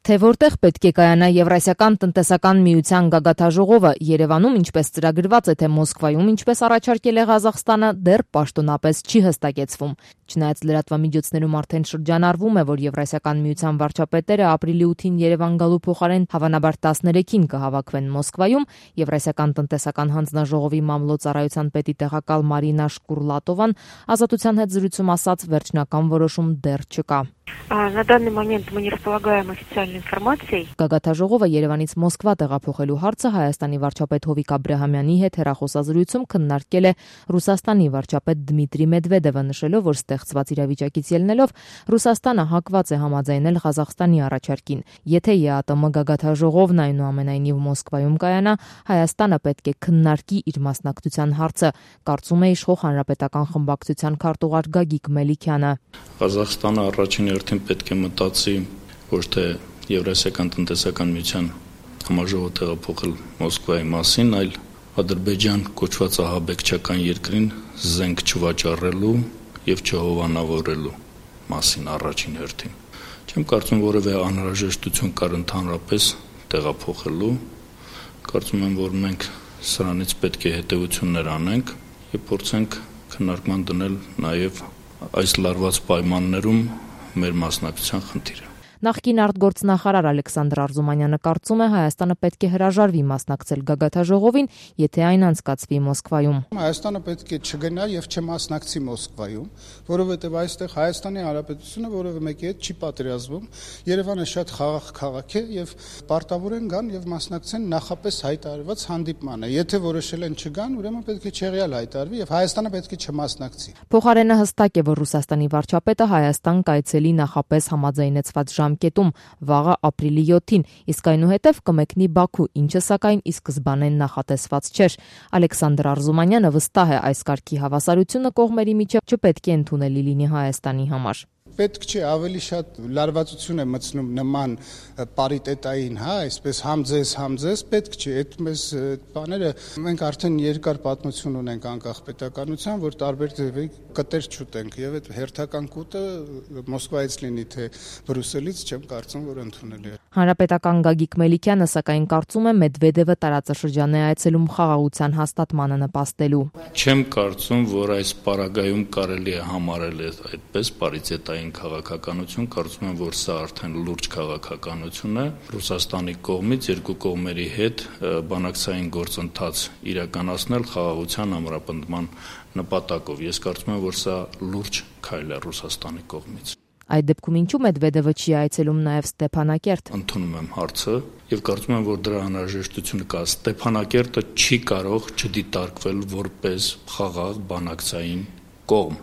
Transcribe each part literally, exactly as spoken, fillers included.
Թե որտեղ պետք է կայանա Եվրասիական տնտեսական միության գագաթաժողովը, Երևանում ինչպես ծրագրված է, թե Մոսկվայում ինչպես առաջարկել է Ղազախստանը, դեռ պաշտոնապես չի հստակեցվում։ Չնայած լրատվամիջոցներում արդեն շրջանառվում է, որ Եվրասիական միության վարչապետերը ապրիլի ութին Երևան գալու փոխարեն հավանաբար տասներեքին կհավաքվեն Մոսկվայում, Եվրասիական տնտեսական հանձնաժողովի մամլոյցարայության պետի տեղակալ Մարինա Շկուրլատովան Ազատության հետ զրույցում ասաց, վերջնական որոշում դեռ չկա։ На данный момент мы не располагаем официальной информацией. Գագաթաժողովը Երևանից Մոսկվա տեղափոխելու հարցը Հայաստանի վարչապետ Հովիկ Աբրահամյանի հետ հեռախոսազրույցում քննարկել է Ռուսաստանի վարչապետ Դմիտրի Մեդվեդևը, նշելով, որ ստեղծված իրավիճակից ելնելով Ռուսաստանը հակված է համաձայնել Ղազախստանի առաջարկին։ Եթե ԵԱՏՄ գագաթաժողովն այնուամենայնիվ Մոսկվայում կայանա, Հայաստանը պետք է քննարկի իր մասնակցության հարցը, կարծում է իշխող հանրապետական խմբակցության քարտուղար Գագիկ Մելիքյանը։ Ղազախստանը առաջին հերթին պետք է մտածի ոչ թե Եվրասիական տնտեսական միության համաժողով տեղափոխել Մոսկվայի մասին, այլ Ադրբեջան կոչված ահաբեկչական երկրին զենք չվաճառելու եւ չհովանավորելու մասին առաջին հերթին։ Չեմ կարծում որևէ անհրաժեշտություն կար ընդհանրապես տեղափոխելու։ Կարծում եմ, որ մենք սրանից պետք է հետեւություններ անենք եւ փորձենք քննարկման դնել նաեւ այս լարված պայմաններում մեր մասնակցության խնդիրը։ Նախկին արտգործնախարար Ալեքսանդր Արզումանյանը կարծում է, Հայաստանը պետք է հրաժարվի մասնակցել գագաթաժողովին, եթե այն անցկացվի Մոսկվայում։ Հայաստանը պետք է չգնա եւ չմասնակցի Մոսկվայում, որովհետեւ այստեղ Հայաստանի Հանրապետությունը որևէ մեկի հետ չի պատերազմում։ Երևանը շատ խաղաղ քաղաք է եւ պարտավոր են գան եւ մասնակցեն նախապես հայտարարված հանդիպմանը։ Եթե որոշել են չգան, ուրեմն պետք է չեղյալ հայտարարվի եւ Հայաստանը պետք է չմասնակցի։ Փոխարենը հստակ է, որ Ռուսաստանի վարչապետը Հայաստան կայցելի նախապես համաձայնեցված ժամկետում վաղը ապրիլի յոթին, իսկ այնուհետև կմեկնի Բաքու, ինչը սակայն ի սկզբանե նախատեսված չէր։ Ալեքսանդր Արզումանյանը վստահ է, այս կարգի հավասարությունը կողմերի միջև չպետք է ընդունելի լինի Հայաստանի համար։ Պետք չէ ավելի շատ լարվածություն է մտցնում նման պարիտետային, հա, այսպես համ ձեզ, համ ձեզ, պետք չէ, այդ մեզ բաները մենք արդեն երկար պատմություն ունենք անկախ պետականության, որ տարբեր ձևի կտեր չուտենք եւ այդ հերթական կուտը Մոսկվայից լինի թե Բրյուսելից չեմ կարծում, որ ընդունելի է։ Հանրապետական Գագիկ Մելիքյանը սակայն կարծում է Մեդվեդևը տարածաշրջան է այցելում խաղաղության հաստատմանը նպաստելու։ Չեմ կարծում, որ այս պարագայում կարելի է համարել այդպես պարիտետային քաղաքականություն, կարծում եմ, որ սա արդեն լուրջ քաղաքականություն է Ռուսաստանի կողմից երկու կողմերի հետ բանակցային գործընթաց իրականացնել խաղաղության ամրապնդման նպատակով։ Ես կարծում եմ, որ սա լուրջ քայլ է Ռուսաստանի կողմից։ Այդ դեպքում ինչու Մեդվեդևը չի այցելում նաև Ստեփանակերտ։ Ընդունում եմ հարցը եւ կարծում եմ, որ դրա անհրաժեշտությունը կա։ Ստեփանակերտը չի կարող չդիտարկվել որպես խաղաղ բանակցային կողմ։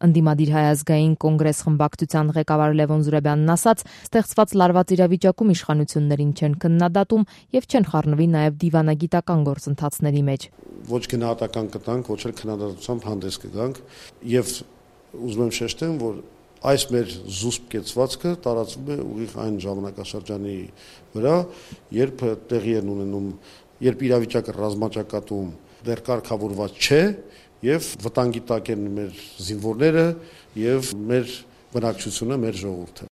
Ընդդիմադիր հայազգային կոնգրես խմբակցության ղեկավար Լևոն Զուրաբյանն ասաց, ստեղծված լարված իրավիճակում իշխանություններին չեն քննադատում եւ չեն խառնվի նաեւ դիվանագիտական գործընթացների մեջ։ Ոչ գնահատական կտանք, ոչ էլ քննադատությամբ հանդես կգանք եւ ուզում եմ շեշտեմ, որ այս մեր զուսպ կեցվածքը տարածվում է ուղիղ այն ժամանակաշրջանի վրա, երբ տեղի են ունենում, երբ իրավիճակը ռազմաճակատում դեռ կարգավորված չէ եւ վտանգի տակ են մեր զինվորները եւ մեր բնակչությունը, մեր ժողովուրդը։